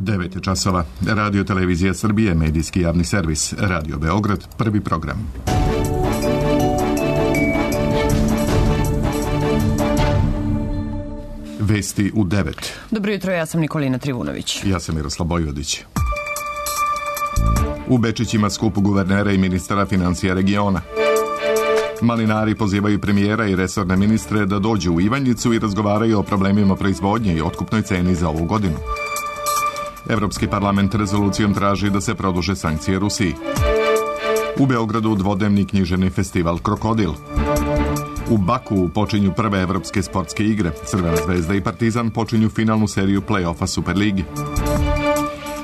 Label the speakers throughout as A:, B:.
A: 9 je časova. Radio Televizija Srbije, medijski javni servis. Radio Beograd, prvi program. Vesti u 9.
B: Dobro jutro, ja sam Nikolina Trivunović.
A: Ja sam Miroslav Bojvodić. U Bečićima skup guvernera i ministara financija regiona. Malinari pozivaju premijera i resorne ministre da dođu u Ivanjicu i razgovaraju o problemima proizvodnje i otkupnoj ceni za ovu godinu. Evropski parlament rezolucijom traži da se produže sankcije Rusiji. U Beogradu dvodnevni književni festival Krokodil. U Baku počinju prve evropske sportske igre. Crvena zvezda i Partizan počinju finalnu seriju play-offa Superligi.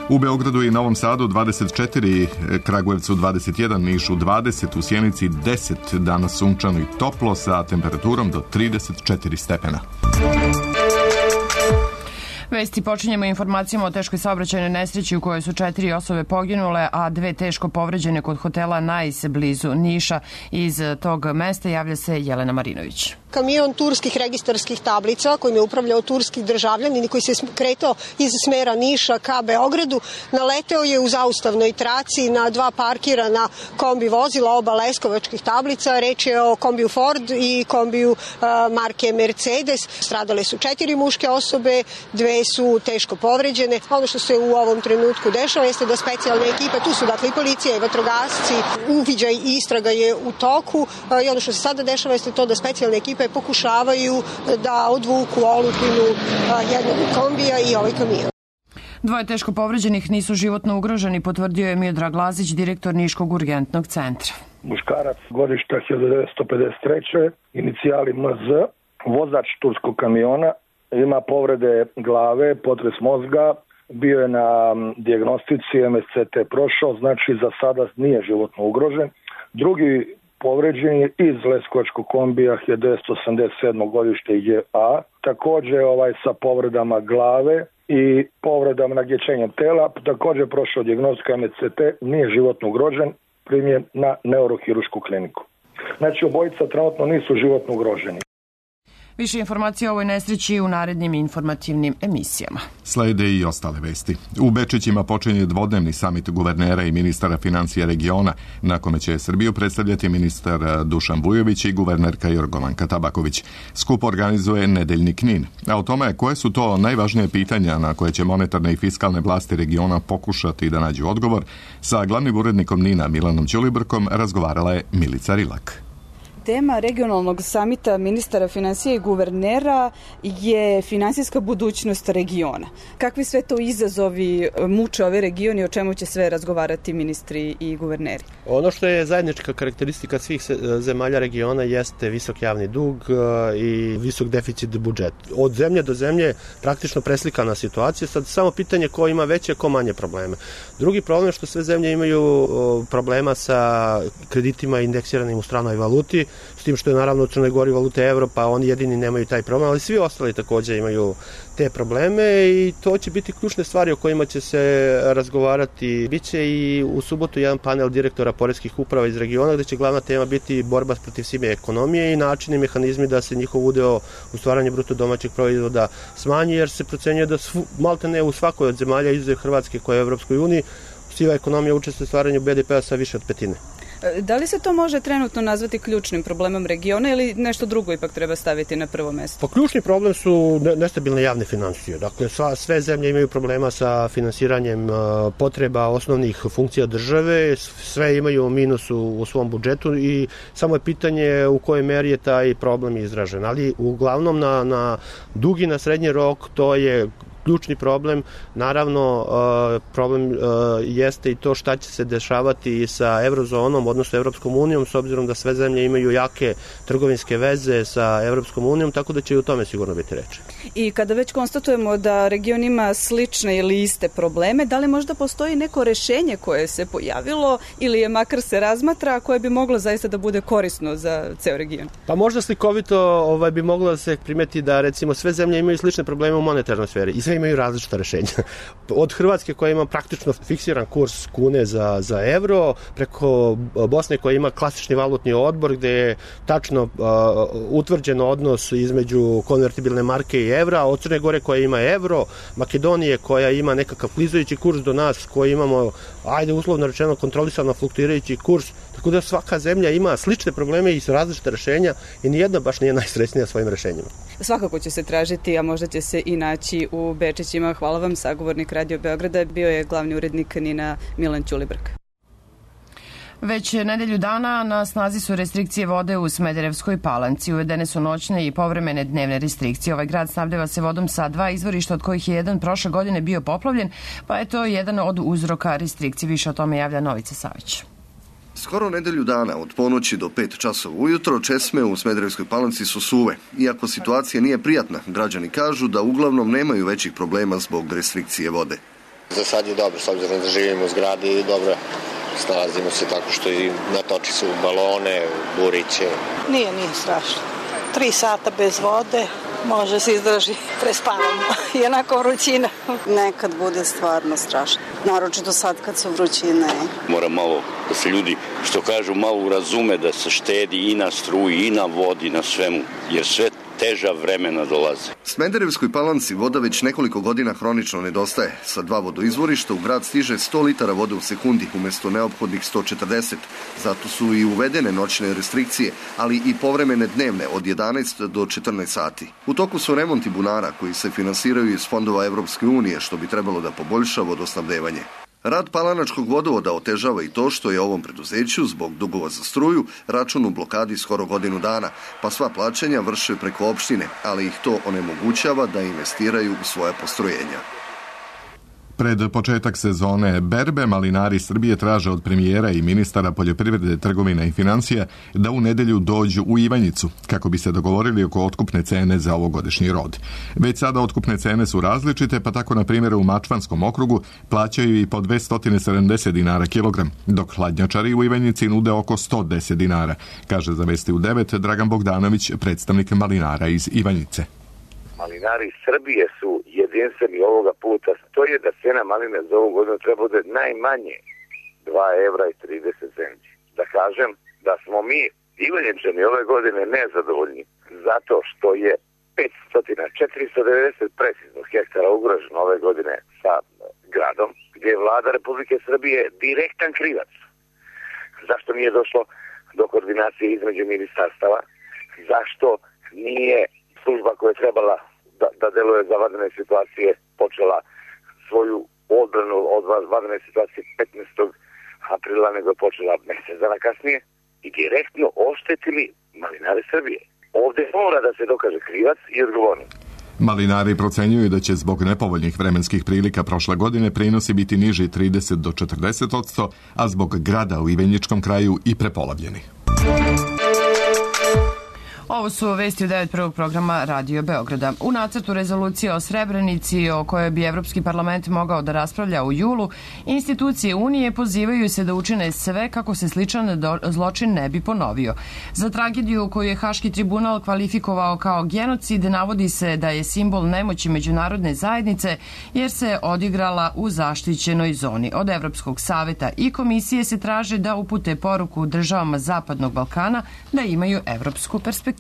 A: U Beogradu i Novom Sadu 24, Kragujevcu 21, Nišu 20, u Sjenici 10, danas sunčano i toplo sa temperaturom do 34 stepena.
B: Vesti počinjemo informacijama o teškoj saobraćajnoj nesreći u kojoj su 4 osobe poginule, a 2 teško povređene kod hotela Nice blizu Niša. Iz tog mesta javlja se Jelena Marinović.
C: Kamion turskih registarskih tablica kojim je upravljao turski državljanin i koji se kretao iz smera Niša ka Beogradu naleteo je u zaustavnoj traci na 2 parkirana kombi vozila, oba leskovačkih tablica. Reč je o kombiju Ford i kombiju marke Mercedes. Stradale su 4 muške osobe, 2 su teško povređene. Ono što se u ovom trenutku dešava jeste da specijalne ekipe, tu su dakle i policija i vatrogasci, uviđaj i istraga je u toku i ono što se sada dešava jeste to da specijalne ekipe pokušavaju da odvuku olupinu jednog kombija i ovaj kamion.
B: 2 teško povređenih nisu životno ugroženi, potvrdio je Miodrag Lazić, direktor Niškog urgentnog centra.
D: Muškarac godišta 1953. inicijali MZ, vozač turskog kamiona, ima povrede glave, potres mozga, bio je na dijagnostici, MSCT prošao, znači za sada nije životno ugrožen. Drugi povređen je iz leskovačkog kombija 1987. godište JA, također sa povredama glave i povredama nagječenjem tela, također prošao dijagnostika MSCT, nije životno ugrožen, primjen na neurohirušku kliniku. Znači obojica trenutno nisu životno ugroženi.
B: Više informacija o ovoj nesreći u narednim informativnim emisijama.
A: Slede i ostale vesti. U Bečićima počinje dvodnevni samit guvernera i ministara financija regiona, na kome će Srbiju predstavljati ministar Dušan Vujović i guvernerka Jorgovanka Tabaković. Skup organizuje nedeljni Knin. A o tome koje su to najvažnije pitanja na koje će monetarne i fiskalne vlasti regiona pokušati da nađu odgovor, sa glavnim urednikom Nina Milanom Ćulibrkom razgovarala je Milica Rilak.
E: Tema regionalnog samita ministara financija i guvernera je finansijska budućnost regiona. Kakvi sve to izazovi muče ove regioni, o čemu će sve razgovarati ministri i guverneri?
F: Ono što je zajednička karakteristika svih zemalja regiona jeste visok javni dug i visok deficit budžeta. Od zemlje do zemlje praktično preslikana situacija, sad samo pitanje ko ima veće, ko manje probleme. Drugi problem je što sve zemlje imaju problema sa kreditima indeksiranim u stranoj valuti, s tim što je naravno u Crnoj Gori valute evro, pa oni jedini nemaju taj problem, ali svi ostali također imaju te probleme i to će biti ključne stvari o kojima će se razgovarati. Biće i u subotu jedan panel direktora poreskih uprava iz regiona gdje će glavna tema biti borba protiv sive ekonomije i načini i mehanizmi da se njihov udeo u stvaranju bruto domaćeg proizvoda smanji, jer se procenjuje da maltene u svakoj od zemalja izuzev Hrvatske koja je u Evropskoj uniji siva ekonomija učestvuje u stvaranju BDP-a sa više od 1/5.
E: Da li se to može trenutno nazvati ključnim problemom regiona ili nešto drugo ipak treba staviti na prvo mesto?
F: Pa ključni problem su nestabilne javne financije. Dakle, sve zemlje imaju problema sa finansiranjem potreba osnovnih funkcija države, sve imaju minus u svom budžetu i samo je pitanje u kojoj meri je taj problem izražen. Ali uglavnom na dugi, na srednji rok to je ključni problem. Naravno, problem jeste i to šta će se dešavati sa eurozonom, odnosno Evropskom unijom, s obzirom da sve zemlje imaju jake trgovinske veze sa Evropskom unijom, tako da će i u tome sigurno biti reči.
E: I kada već konstatujemo da region ima slične ili iste probleme, da li možda postoji neko rešenje koje se pojavilo ili je makar se razmatra, koje bi moglo zaista da bude korisno za ceo region?
F: Pa možda slikovito bi moglo da se primeti da recimo sve zemlje imaju slične probleme u monetarnoj sferi i sve imaju različita rešenja. Od Hrvatske koja ima praktično fiksiran kurs kune za evro, preko Bosne koja ima klasični valutni odbor gde je tačno utvrđen odnos između konvertibilne marke i evra, od Crne Gore koja ima evro, Makedonije koja ima nekakav klizajući kurs do nas, koji imamo, uslovno rečeno, kontrolisano fluktuirajući kurs, tako da svaka zemlja ima slične probleme i različite rešenja i nijedna baš nije najsrećnija svojim rešenjima.
E: Svakako će se tražiti, a možda će se i naći u Bečićima. Hvala vam, sagovornik Radio Beograda, bio je glavni urednik NIN-a Milan Ćulibrk.
B: Već nedelju dana na snazi su restrikcije vode u Smederevskoj Palanci. Uvedene su noćne i povremene dnevne restrikcije. Ovaj grad snabdeva se vodom sa 2 izvorišta, od kojih je jedan prošle godine bio poplavljen, pa je to jedan od uzroka restrikcije. Više o tome javlja Novica Savić.
G: Skoro nedelju dana, od ponoći do 5 časova ujutro, česme u Smederevskoj Palanci su suve. Iako situacija nije prijatna, građani kažu da uglavnom nemaju većih problema zbog restrikcije vode.
H: Za sad je dobro, s obzirom da živimo u zgradi i dobro snalazimo se tako što i natoči se u balone, u buriće.
I: Nije strašno. 3 sata bez vode, može se izdrži, prespavamo. I onako vrućina.
J: Nekad bude stvarno strašno. Naročito sad kad su vrućine.
K: Mora malo da se ljudi, što kažu, malo razume da se štedi i na struji, i na vodi, na svemu, jer sve teža vremena dolaze.
G: Smederevskoj Palanci voda već nekoliko godina hronično nedostaje. Sa 2 vodoizvorišta u grad stiže 100 litara vode u sekundi umjesto neophodnih 140. Zato su i uvedene noćne restrikcije, ali i povremene dnevne od 11 do 14 sati. U toku su remonti bunara koji se finansiraju iz fondova Evropske unije, što bi trebalo da poboljša vodosnabdevanje. Rad palanačkog vodovoda otežava i to što je ovom preduzeću zbog dugova za struju račun u blokadi skoro godinu dana, pa sva plaćanja vrše preko opštine, ali ih to onemogućava da investiraju u svoje postrojenja.
A: Pred početak sezone berbe, malinari Srbije traže od premijera i ministara poljoprivrede, trgovine i financija da u nedelju dođu u Ivanjicu, kako bi se dogovorili oko otkupne cene za ovogodišnji rod. Već sada otkupne cene su različite, pa tako na primjer u Mačvanskom okrugu plaćaju i po 270 dinara kilogram, dok hladnjačari u Ivanjici nude oko 110 dinara, kaže za Vesti u 9 Dragan Bogdanović, predstavnik malinara iz Ivanjice.
L: Malinari Srbije su jedinstveni ovoga puta. To je da cena maline za ovu godinu treba bude najmanje 2 evra i 30 centi. Da kažem da smo mi Ivanjičani ove godine nezadovoljni zato što je 490 precizno hektara ugroženo ove godine sa gradom, gdje je vlada Republike Srbije direktan krivac. Zašto nije došlo do koordinacije između ministarstava? Zašto nije služba koja je trebala da deluje za vanredne situacije počela svoju odbranu od vanredne situacije 15. aprila, nego je počela mjesec dana kasnije i direktno oštetili malinare Srbije. Ovdje mora da se dokaže krivac i odgovornost.
A: Malinari procenjuju da će zbog nepovoljnih vremenskih prilika prošle godine prinosi biti niži 30 do 40%, a zbog grada u Ivanjičkom kraju i prepolavljeni.
B: Ovo su vesti u 9 prvog programa Radio Beograda. U nacrtu rezolucije o Srebrenici, o kojoj bi Evropski parlament mogao da raspravlja u julu, institucije Unije pozivaju se da učine sve kako se sličan zločin ne bi ponovio. Za tragediju koju je Haški tribunal kvalifikovao kao genocid, navodi se da je simbol nemoći međunarodne zajednice jer se odigrala u zaštićenoj zoni. Od Evropskog saveta i komisije se traže da upute poruku državama Zapadnog Balkana da imaju evropsku perspektivu.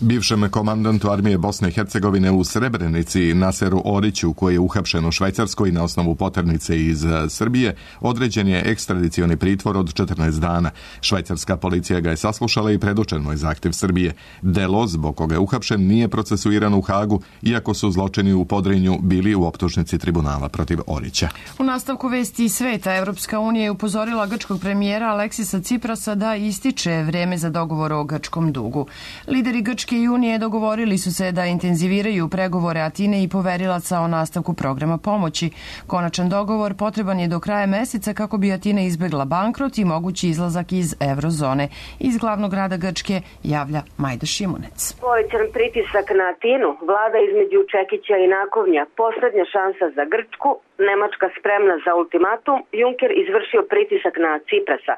A: Bivšem komandantu armije Bosne i Hercegovine u Srebrenici, Naseru Oriću, koji je uhapšen u Švajcarskoj na osnovu poternice iz Srbije, određen je ekstradicioni pritvor od 14 dana. Švajcarska policija ga je saslušala i predočen mu je zahtjev Srbije. Delo zbog koga je uhapšen nije procesuiran u Hagu, iako su zločini u Podrinju bili u optužnici tribunala protiv Orića.
B: U nastavku vesti sveta, Evropska unija je upozorila grčkog premijera Aleksisa Ciprasa da ističe vreme za dogovor o grčkom dugu. Lideri Grčke i Unije dogovorili su se da intenziviraju pregovore Atine i poverilaca o nastavku programa pomoći. Konačan dogovor potreban je do kraja meseca kako bi Atina izbegla bankrot i mogući izlazak iz eurozone. Iz glavnog grada Grčke javlja Majda Šimunec.
M: Povećan pritisak na Atinu, vlada između Čekića i Nakovnja, poslednja šansa za Grčku, Nemačka spremna za ultimatum, Juncker izvršio pritisak na Ciprasa.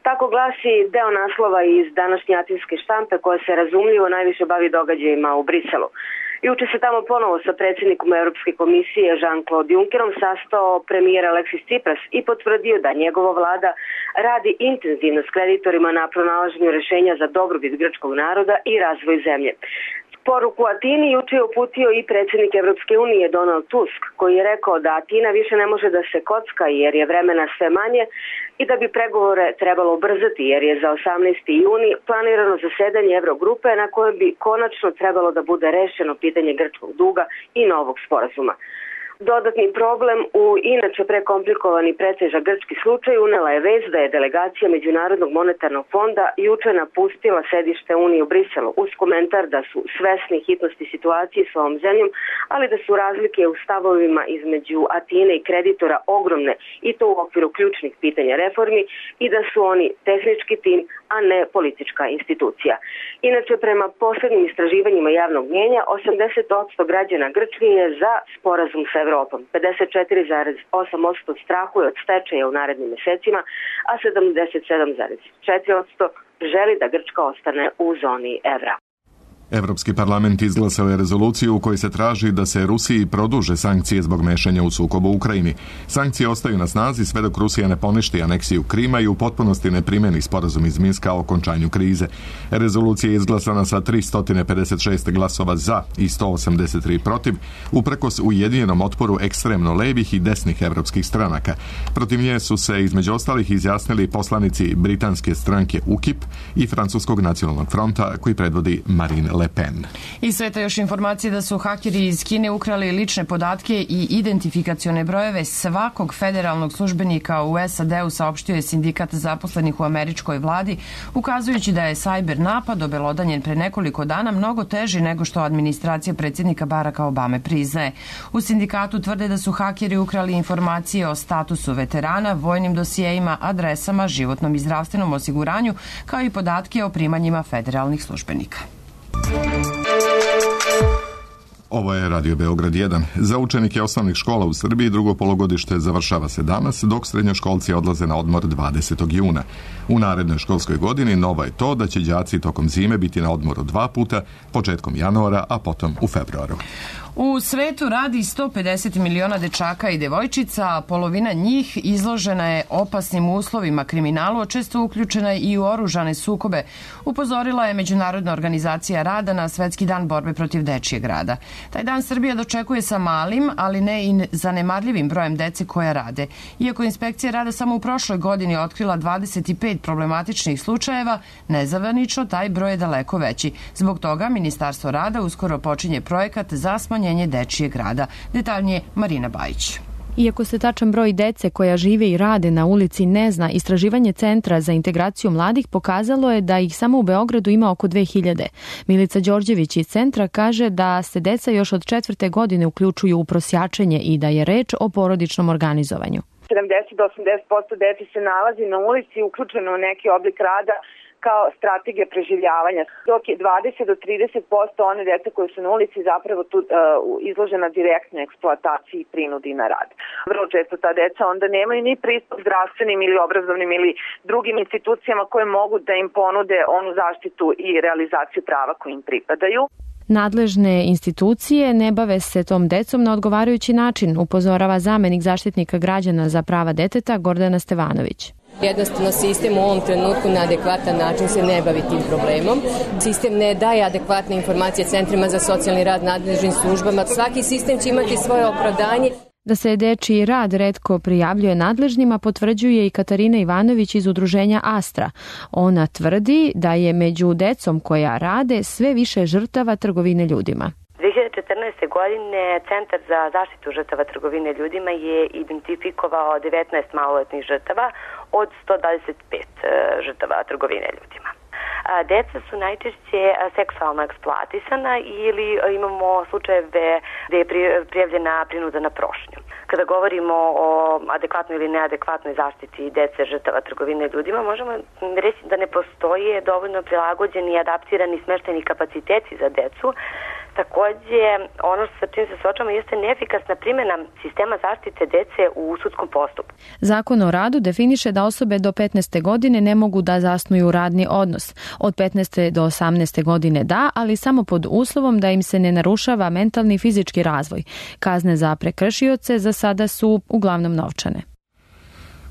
M: Tako glasi deo naslova iz današnje atinske štampe koja se razumljivo najviše bavi događajima u Briselu. Juče se tamo ponovo sa predsjednikom Europske komisije Jean-Claude Junckerom sastao premijer Alexis Tsipras i potvrdio da njegova vlada radi intenzivno s kreditorima na pronalaženju rešenja za dobrobit grčkog naroda i razvoj zemlje. Poruku Atini juče je uputio i predsjednik Evropske unije Donald Tusk, koji je rekao da Atina više ne može da se kocka jer je vremena sve manje i da bi pregovore trebalo ubrzati jer je za 18. juni planirano zasedanje Eurogrupe na kojem bi konačno trebalo da bude rešeno pitanje grčkog duga i novog sporazuma. Dodatni problem u inače prekomplikovani pretežak grčki slučaj unela je vez da je delegacija Međunarodnog monetarnog fonda juče napustila sedište Unije u Briselu uz komentar da su svesni hitnosti situacije s ovom zemljom, ali da su razlike u stavovima između Atine i kreditora ogromne i to u okviru ključnih pitanja reformi i da su oni tehnički tim, a ne politička institucija. Inače, prema poslednjim istraživanjima javnog mnjenja, 80% građana Grčke je za sporazum sa Evropom. 54,8% strahuje od stečaja u narednim mesecima, a 77,4% želi da Grčka ostane u zoni evra.
A: Evropski parlament izglasao je rezoluciju u kojoj se traži da se Rusiji produže sankcije zbog mešanja u sukobu u Ukrajini. Sankcije ostaju na snazi sve dok Rusija ne poništi aneksiju Krima i u potpunosti ne primeni sporazum iz Minska o okončanju krize. Rezolucija je izglasana sa 356 glasova za i 183 protiv, uprkos ujedinjenom otporu ekstremno levih i desnih evropskih stranaka. Protiv nje su se između ostalih izjasnili poslanici britanske stranke UKIP i Francuskog nacionalnog fronta koji predvodi Marine Le Pen.
B: I sveta još informacije da su hakeri iz Kine ukrali lične podatke i identifikacione brojeve svakog federalnog službenika u SAD-u, saopštio je sindikat zaposlenih u američkoj vladi, ukazujući da je sajber napad obelodanjen pre nekoliko dana mnogo teži nego što administracija predsjednika Baracka Obame priznaje. U sindikatu tvrde da su hakeri ukrali informacije o statusu veterana, vojnim dosijejima, adresama, životnom i zdravstvenom osiguranju, kao i podatke o primanjima federalnih službenika.
A: Ovo je Radio Beograd 1. Za učenike osnovnih škola u Srbiji drugo polugodište završava se danas, dok srednjoškolci odlaze na odmor 20. juna. U narednoj školskoj godini novo je to da će đaci tokom zime biti na odmoru 2 puta, početkom januara, a potom u februaru.
B: U svetu radi 150 miliona dečaka i devojčica, a polovina njih izložena je opasnim uslovima, kriminalu, a često uključena i u oružane sukobe, upozorila je Međunarodna organizacija rada na Svetski dan borbe protiv dečijeg rada. Taj dan Srbija dočekuje sa malim, ali ne i zanemarljivim brojem dece koja rade. Iako inspekcija rada samo u prošloj godini otkrila 25 problematičnih slučajeva, nezavanično taj broj je daleko veći. Zbog toga Ministarstvo rada uskoro počinje projekat za smanjenje dečijeg rada. Detaljnije Marina Bajić.
N: Iako se tačan broj dece koja žive i rade na ulici ne zna, istraživanje Centra za integraciju mladih pokazalo je da ih samo u Beogradu ima oko 2000. Milica Đorđević iz Centra kaže da se deca još od 4. godine uključuju u prosjačenje i da je reč o porodičnom organizovanju.
O: 70 do 80% dece se nalazi na ulici uključeno u neki oblik rada kao strategija preživljavanja, dok je 20 do 30% one dece koje su na ulici zapravo tu izložena direktnoj eksploataciji i prinudi na rad. Vrlo često ta deca onda nemaju ni pristup zdravstvenim ili obrazovnim ili drugim institucijama koje mogu da im ponude onu zaštitu i realizaciju prava koji im pripadaju.
N: Nadležne institucije ne bave se tom decom na odgovarajući način, upozorava zamenik zaštitnika građana za prava deteta Gordana Stevanović.
P: Jednostavno sistem u ovom trenutku na adekvatan način se ne bavi tim problemom. Sistem ne daje adekvatne informacije centrima za socijalni rad, nadležnim službama. Svaki sistem će imati svoje opravdanje.
N: Da se dečiji rad retko prijavljuje nadležnima potvrđuje i Katarina Ivanović iz udruženja Astra. Ona tvrdi da je među decom koja rade sve više žrtava trgovine ljudima.
Q: 2014. godine Centar za zaštitu žrtava trgovine ljudima je identifikovao 19 maloletnih žrtava od 125 žrtava trgovine ljudima. Deca su najčešće seksualno eksploatisana ili imamo slučajeve gde je prijavljena prinuda na prošnju. Kada govorimo o adekvatnoj ili neadekvatnoj zaštiti dece žrtava trgovine ljudima, možemo reći da ne postoje dovoljno prilagođeni i adaptirani smeštajni kapaciteti za decu, Takođe, ono sa čim se suočavamo jeste neefikasna primjena sistema zaštite dece u sudskom postupku.
N: Zakon o radu definiše da osobe do 15. godine ne mogu da zasnuju radni odnos. Od 15. do 18. godine da, ali samo pod uslovom da im se ne narušava mentalni i fizički razvoj. Kazne za prekršioce za sada su uglavnom novčane.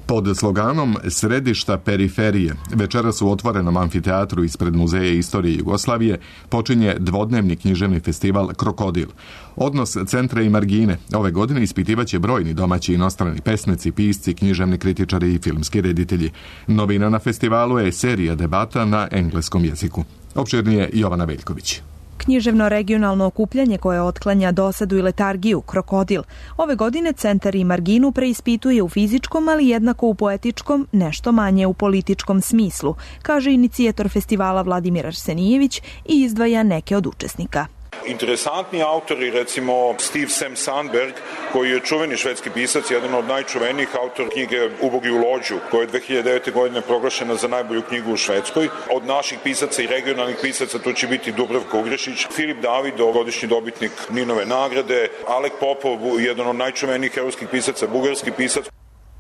A: Pod sloganom Središta periferije večeras u otvorenom amfiteatru ispred Muzeja istorije Jugoslavije počinje dvodnevni književni festival Krokodil. Odnos centra i margine ove godine ispitivaće brojni domaći i inostrani pesnici, pisci, književni kritičari i filmski reditelji. Novina na festivalu je serija debata na engleskom jeziku. Opširnije Jovana Veljković.
R: Književno regionalno okupljanje koje otklanja dosadu i letargiju, Krokodil. Ove godine centar i marginu preispituje u fizičkom, ali jednako u poetičkom, nešto manje u političkom smislu, kaže inicijator festivala Vladimir Arsenijević i izdvaja neke od učesnika.
S: Interesantni autori, recimo Steve Sam Sandberg, koji je čuveni švedski pisac, jedan od najčuvenijih autora knjige Ubogi u lođu, koja je 2009. godine proglašena za najbolju knjigu u Švedskoj. Od naših pisaca i regionalnih pisaca to će biti Dubravka Ugrešić, Filip David, godišnji dobitnik Ninove nagrade, Alek Popov, jedan od najčuvenijih evropskih pisaca, bugarski pisac.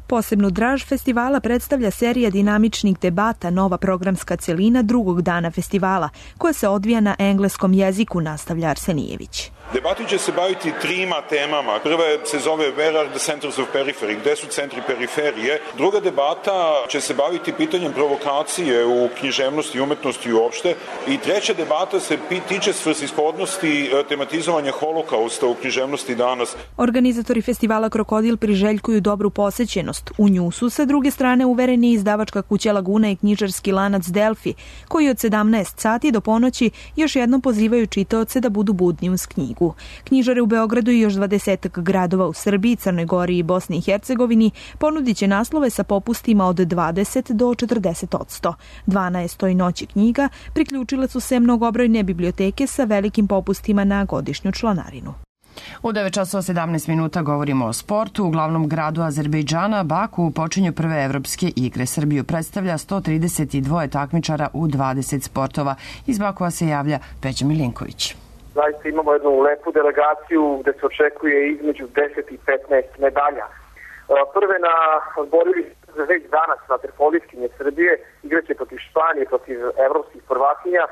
R: Posebnu draž festivala predstavlja serija dinamičnih debata, nova programska celina drugog dana festivala, koja se odvija na engleskom jeziku, nastavlja Arsenijević.
S: Debati će se baviti trima temama. Prva se zove Where are the centers of periphery? Gde su centri periferije? Druga debata će se baviti pitanjem provokacije u književnosti i umetnosti uopšte. I treća debata se tiče svrsishodnosti tematizovanja holokausta u književnosti danas.
R: Organizatori festivala Krokodil priželjkuju dobru posećenost. U nju su sa druge strane uvereni izdavačka kuća Laguna i knjižarski lanac Delfi, koji od 17 sati do ponoći još jednom pozivaju čitaoce da budu budni uz knjigu. Knjižare u Beogradu i još 20 gradova u Srbiji, Crnoj Gori i Bosni i Hercegovini ponudit će naslove sa popustima od 20 do 40%. 12. noći knjiga priključile su se mnogobrojne biblioteke sa velikim popustima na godišnju članarinu.
B: U 9:17 minuta govorimo o sportu. U glavnom gradu Azerbejdžana, Baku, počinju prve evropske igre. Srbiju predstavlja 132 takmičara u 20 sportova. Iz Bakua se javlja Peđa Milinković.
T: Zaista imamo jednu lepu delegaciju gde se očekuje između 10 i 15 medalja. Prve na borili za već danas vaterpolistkinje Srbije igraće protiv Španije, protiv evropskih prvakinja,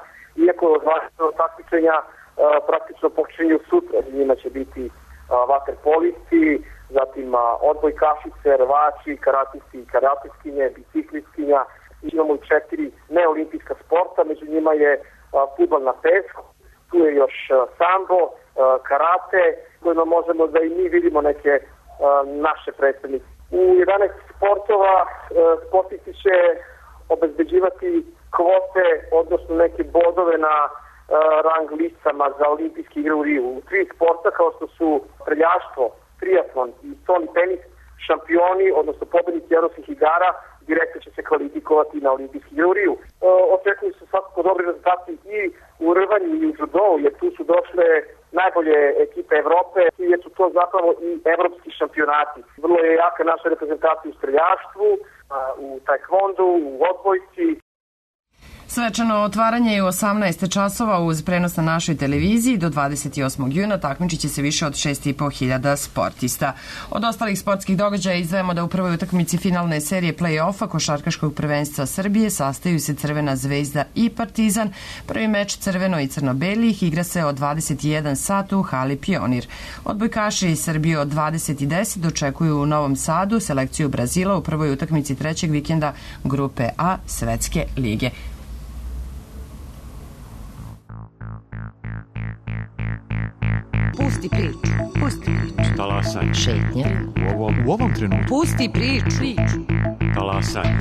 T: iako zvanično takmičenja praktično počinju sutra. Njima će biti vaterpolisti, zatim odbojkašice, rvači, karatisti i karatistkinje, biciklistkinja. Imamo i 4 neolimpijska sporta, među njima je fudbal na pesku. Tu je još sambo, karate, kojima možemo da i mi vidimo neke naše predstavnike. U 11 sportova sportisti će obezbeđivati kvote, odnosno neke bodove na rang listama za olimpijske igre u Riju. U 3 sporta kao što su streljaštvo, triatlon i stolni tenis, šampioni, odnosno pobednici evropskih igara, direktno će se kvalifikovati na olimpijski igre u Riju. Očekuju se svakako dobri rezultati i u rvanju i u judovu, jer tu su došle najbolje ekipe Evrope, jer su to zapravo i evropski šampionati. Vrlo je jaka naša reprezentacija u streljaštvu, u taekvondu, u odbojci.
B: Svečano otvaranje je u 18 časova uz prenos na našoj televiziji. Do 28. juna takmičit će se više od 6.500 sportista. Od ostalih sportskih događaja izdvajamo da u prvoj utakmici finalne serije play-offa košarkaškog prvenstva Srbije sastaju se Crvena zvezda i Partizan. Prvi meč crveno i crno-belih igra se od 21 sat u hali Pionir. Odbojkaši Srbije od 20:10 dočekuju u Novom Sadu selekciju Brazila u prvoj utakmici trećeg vikenda grupe A Svetske lige.
U: Pusti priču. Pusti priču.
V: Talasanje.
U: Šetnje.
V: U ovom trenutku.
U: Pusti priču.
V: Talasanje.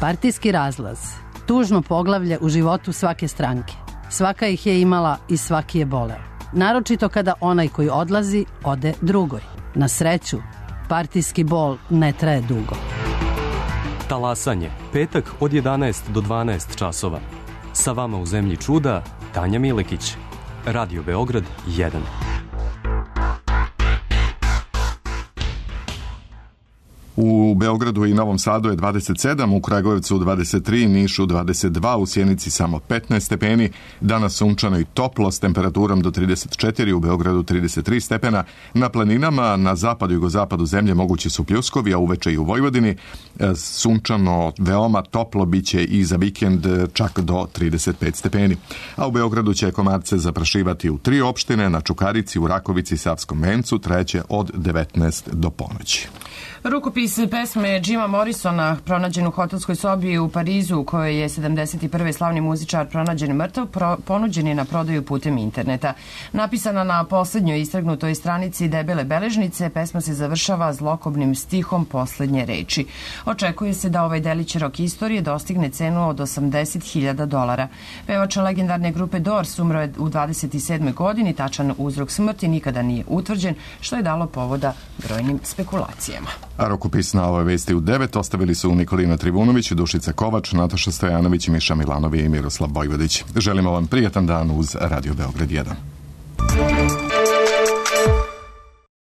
U: Partijski razlaz. Tužno poglavlje u životu svake stranke. Svaka ih je imala i svaki je boleo. Naročito kada onaj koji odlazi, ode drugoj. Na sreću, partijski bol ne traje dugo.
V: Talasanje. Petak od 11 do 12 časova. Sa vama u Zemlji čuda, Tanja Milekić. Radio Beograd 1.
A: U Beogradu i Novom Sadu je 27, u Kragujevcu 23, Nišu 22, u Sjenici samo 15 stepeni. Danas sunčano i toplo s temperaturom do 34, u Beogradu 33 stepena. Na planinama na zapadu i jugozapadu zemlje mogući su pljuskovi, a uveče i u Vojvodini. Sunčano, veoma toplo biće i za vikend čak do 35 stepeni. A u Beogradu će komarce zaprašivati u 3 opštine, na Čukarici, u Rakovici i Savskom Vencu, treće od 19 do ponoći.
B: Rukopis pesme Jima Morrisona pronađen u hotelskoj sobi u Parizu, u kojoj je 71. slavni muzičar pronađen mrtav, ponuđen je na prodaju putem interneta. Napisana na poslednjoj istragnutoj stranici debele beležnice, pesma se završava zlokobnim stihom poslednje reči. Očekuje se da ovaj delić rock istorije dostigne cenu od $80.000. Pevač legendarne grupe Doors umro je u 27. godini, tačan uzrok smrti nikada nije utvrđen, što je dalo povoda brojnim spekulacijama.
A: A rukopis na ovoj vesti u 9 ostavili su Nikolina Trivunović, Dušica Kovač, Nataša Stojanović, Miša Milanovi i Miroslav Vojvodić. Želimo vam prijatan dan uz Radio Beograd 1.